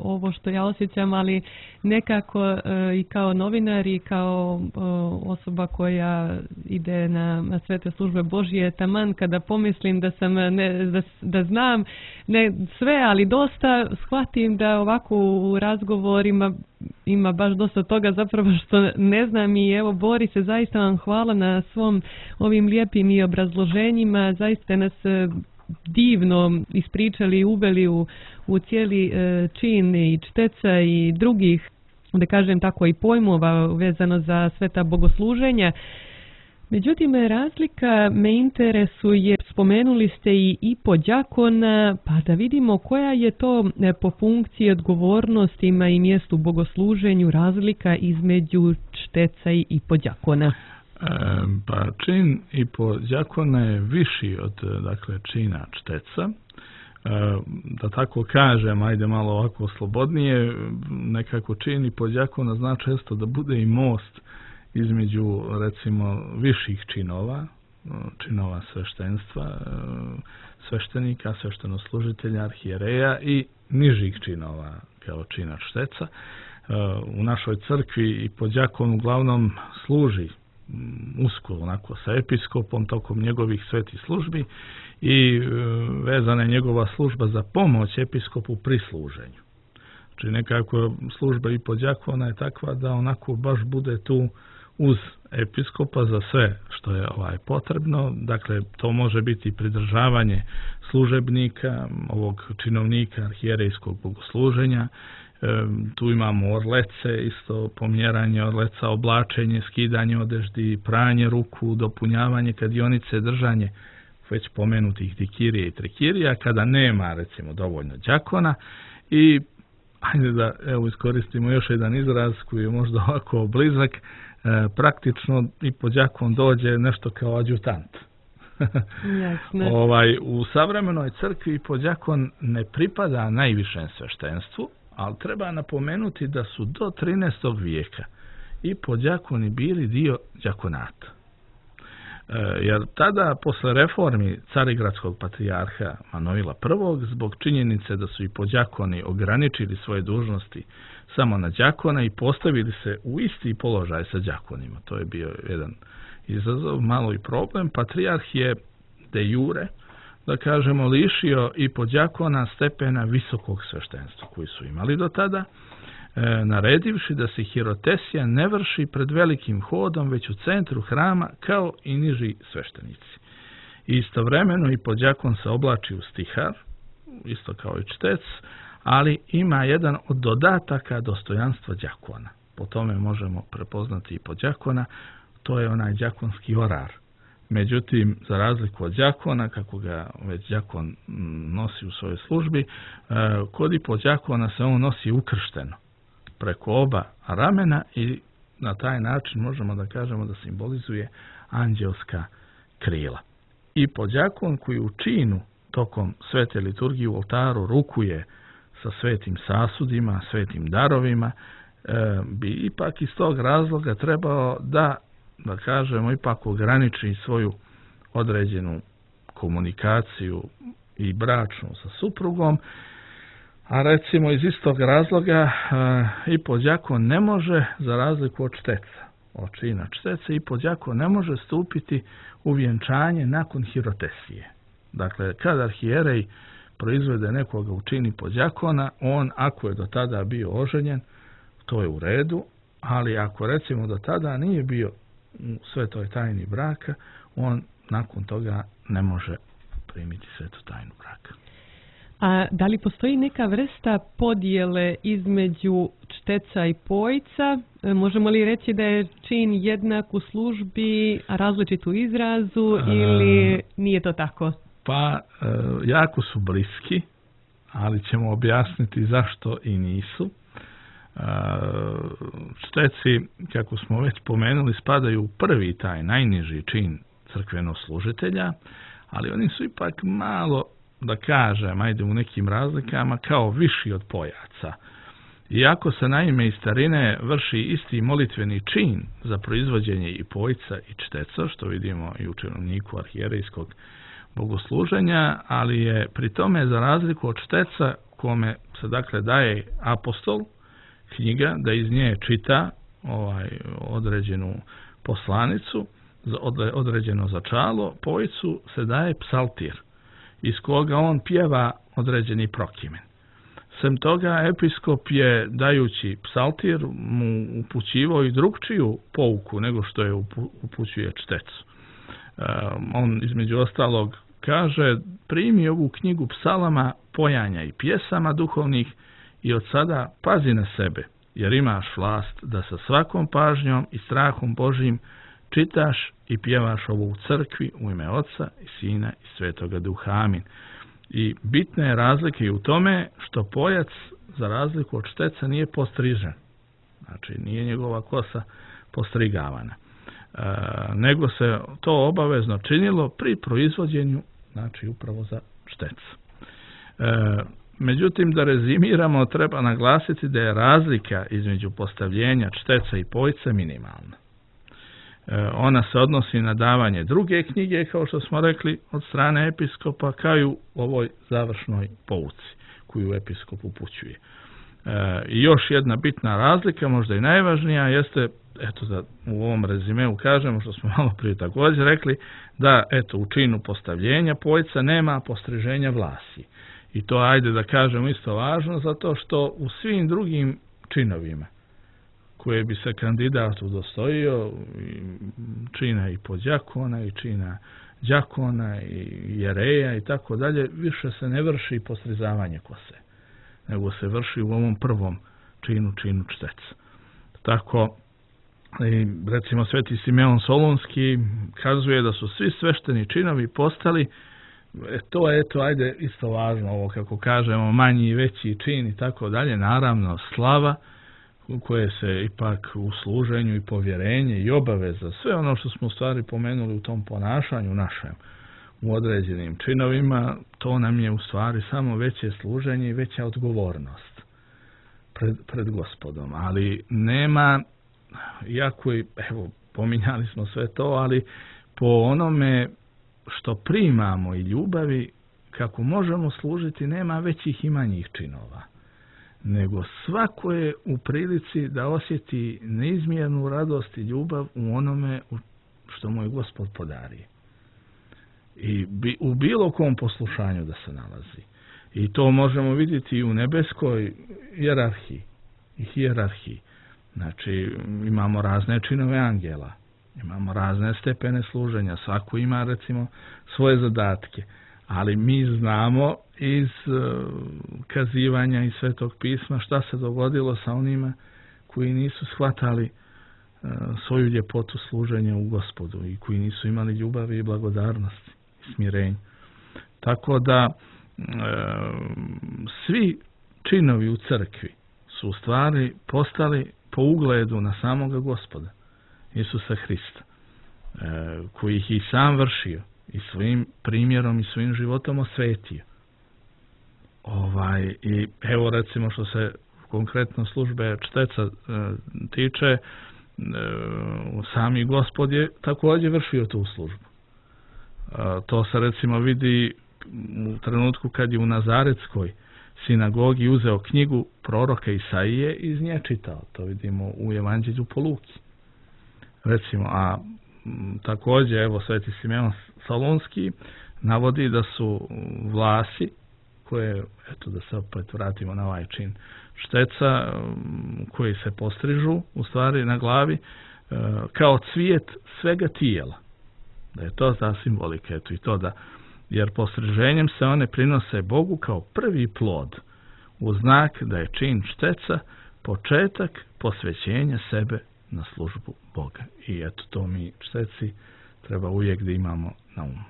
ovo što ja osjećam, ali nekako i kao novinar i kao osoba koja ide na svete službe Božje, taman kada pomislim da sam da znam ne sve, ali dosta, shvatim da ovako u razgovorima ima baš dosta toga zapravo što ne znam. I evo, Boris, zaista vam hvala na svom ovim lijepim i obrazloženjima, zaista nas divno ispričali i uveli u cijeli čin i čteca i drugih, da kažem tako, i pojmova vezano za sveta bogosluženja. Međutim, razlika me interesuje, spomenuli ste i podjakona, pa da vidimo koja je to po funkciji, odgovornostima i mjestu bogosluženju razlika između čteca i podjakona. Pa čin i podjakona je viši od čina čteca. Da tako kažem, ajde malo ovako slobodnije, nekako čin i podjakona zna često da bude i most između, recimo, viših činova sveštenstva, sveštenika, sveštenoslužitelja, arhijereja i nižih činova kao čina čteca. U našoj crkvi i podjakon uglavnom služi usko onako sa episkopom tokom njegovih svetih službi i vezana je njegova služba za pomoć episkopu pri služenju. Znači nekako služba i podjakona je takva da onako baš bude tu uz episkopa za sve što je potrebno. Dakle, to može biti pridržavanje služebnika, ovog činovnika arhijerejskog bogosluženja. Tu imamo orlece, isto pomjeranje orleca, oblačenje, skidanje odeždi, pranje ruku, dopunjavanje kadionice, držanje već pomenutih dikirije i trikirija, kada nema, recimo, dovoljno đakona. I ajde da iskoristimo još jedan izraz koji je možda ovako blizak, praktično i podjakon dođe nešto kao adjutant. U savremenoj crkvi podjakon ne pripada najvišem sveštenstvu, ali treba napomenuti da su do 13. vijeka i podjakoni bili dio đakonata. Jer tada, posle reformi carigradskog patrijarha Manuila I, zbog činjenice da su i podjakoni ograničili svoje dužnosti samo na đakona i postavili se u isti položaj sa đakonima. To je bio jedan izazov, malo i problem. Patrijarh je de jure, da kažemo, lišio i podjakona stepena visokog sveštenstva koji su imali do tada, naredivši da se hirotesija ne vrši pred velikim hodom, već u centru hrama kao i niži sveštenici. Istovremeno i podjakon se oblači u stihar, isto kao i čtec, ali ima jedan od dodataka dostojanstva đakona. Po tome možemo prepoznati i podjakona, to je onaj đakonski orar. Međutim, za razliku od đakona, kako ga već đakon nosi u svojoj službi, kod i podjakona se on nosi ukršteno preko oba ramena i na taj način možemo da kažemo da simbolizuje anđelska krila. I podjakon koji u činu tokom svete liturgije u oltaru rukuje sa svetim sasudima, svetim darovima, bi ipak iz tog razloga trebao da kažemo, ipak ograniči svoju određenu komunikaciju i bračnu sa suprugom, a recimo iz istog razloga i podjakon ne može, za razliku od čteca, od čina čteca, i podjakon ne može stupiti u vjenčanje nakon hirotesije. Dakle, kad arhijerej proizvede nekoga u čini podjakona, on, ako je do tada bio oženjen, to je u redu, ali ako recimo do tada nije bio u svetoj tajni braka, on nakon toga ne može primiti svetu tajnu braka. A da li postoji neka vrsta podjele između čteca i pojca? Možemo li reći da je čin jednak u službi, a različit u izrazu, ili nije to tako? Pa, jako su bliski, ali ćemo objasniti zašto i nisu. Čteci, kako smo već pomenuli, spadaju u prvi taj najniži čin crkvenoslužitelja, ali oni su ipak malo, da kažem, ajde u nekim razlikama, kao viši od pojaca. Iako se naime iz starine vrši isti molitveni čin za proizvođenje i pojca i čteca, što vidimo i u činovniku arhijerejskog bogosluženja, ali je pri tome, za razliku od čteca, kome se dakle daje apostol, knjiga, da iz nje čita određenu poslanicu, određeno začalo, pojcu se daje psaltir, iz koga on pjeva određeni prokimen. Sem toga, episkop je, dajući psaltir, mu upućivao i drugčiju pouku nego što je upućuje čtecu. On, između ostalog, kaže: primi ovu knjigu psalama, pojanja i pjesama duhovnih i od sada pazi na sebe, jer imaš vlast da sa svakom pažnjom i strahom Božjim čitaš i pjevaš ovo u crkvi u ime Oca i Sina i Svetoga Duha. Amin. I bitna je razlika i u tome što pojac, za razliku od Šteca, nije postrižen. Znači, nije njegova kosa postrigavana. Nego se to obavezno činilo pri proizvođenju, znači upravo za Štec. Međutim, da rezimiramo, treba naglasiti da je razlika između postavljenja Šteca i pojca minimalna. Ona se odnosi na davanje druge knjige, kao što smo rekli, od strane episkopa, kao i u ovoj završnoj pouci koju episkop upućuje. I još jedna bitna razlika, možda i najvažnija, jeste, eto da u ovom rezimeu kažemo, što smo malo prije također rekli, da eto u činu postavljenja pojca nema postriženja vlasi. I to, ajde da kažemo, isto važno, zato što u svim drugim činovima koje bi se kandidat udostojio, čina i podjakona, i čina đakona, i jereja i tako dalje, više se ne vrši postrizavanje kose, nego se vrši u ovom prvom činu Šteca. Tako, recimo Sveti Simeon Solunski kazuje da su svi svešteni činovi postali, to je, ajde, isto važno, ovo kako kažemo, manji i veći čin i tako dalje, naravno slava, koje se ipak u služenju i povjerenje i obaveza, sve ono što smo u stvari pomenuli u tom ponašanju našem u određenim činovima, to nam je u stvari samo veće služenje i veća odgovornost pred Gospodom. Ali nema, iako i, evo, pominjali smo sve to, ali po onome što primamo i ljubavi, kako možemo služiti, nema većih i manjih činova. Nego svako je u prilici da osjeti neizmjernu radost i ljubav u onome što mu je Gospod podari. I u bilo kom poslušanju da se nalazi. I to možemo vidjeti i u nebeskoj hijerarhiji. Znači, imamo razne činove angela, imamo razne stepene služenja, svako ima, recimo, svoje zadatke. Ali mi znamo iz kazivanja iz Svetog pisma šta se dogodilo sa onima koji nisu shvatali svoju ljepotu služenja u Gospodu i koji nisu imali ljubavi i blagodarnosti i smirenja. Tako da svi činovi u crkvi su u stvari postali po ugledu na samoga Gospoda, Isusa Hrista, koji ih i sam vršio i svojim primjerom i svojim životom osvetio. I evo, recimo, što se konkretno službe Šteca tiče, sami Gospod je također vršio tu službu. To se, recimo, vidi u trenutku kad je u Nazaretskoj sinagogi uzeo knjigu proroka Isaije i iz nje čitao. To vidimo u Evanđelju po Luki. Recimo, a također, evo, Sveti Simeon Solunski navodi da su vlasi, koje, eto da se opet vratimo na ovaj čin Šteca, koji se postrižu u stvari na glavi, kao cvijet svega tijela. Da je to ta simbolika, eto i to da, jer postriženjem se one prinose Bogu kao prvi plod, u znak da je čin Šteca početak posvećenja sebe na službu Boga. I eto, to mi Šteci treba uvijek da imamo na umu.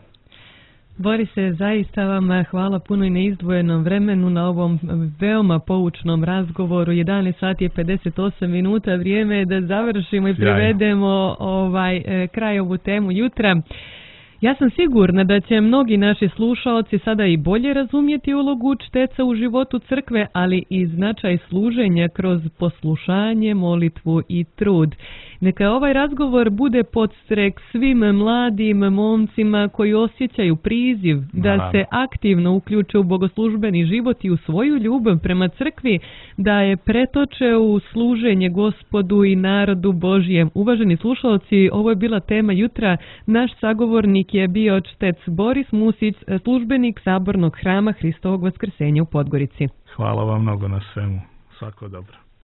Borise, zaista vam hvala puno i na izdvojenom vremenu na ovom veoma poučnom razgovoru. 11 sati je 58 minuta, vrijeme je da završimo i privedemo kraj ovu temu jutra. Ja sam sigurna da će mnogi naši slušaoci sada i bolje razumjeti ulogu Šteca u životu crkve, ali i značaj služenja kroz poslušanje, molitvu i trud. Neka ovaj razgovor bude podstrek svim mladim momcima koji osjećaju priziv da se aktivno uključe u bogoslužbeni život i u svoju ljubav prema crkvi, da je pretoče u služenje Gospodu i narodu Božijem. Uvaženi slušalci, ovo je bila tema jutra. Naš sagovornik je bio Štec Boris Musić, službenik Sabornog hrama Hristovog Vaskrsenja u Podgorici. Hvala vam mnogo na svemu. Svako dobro.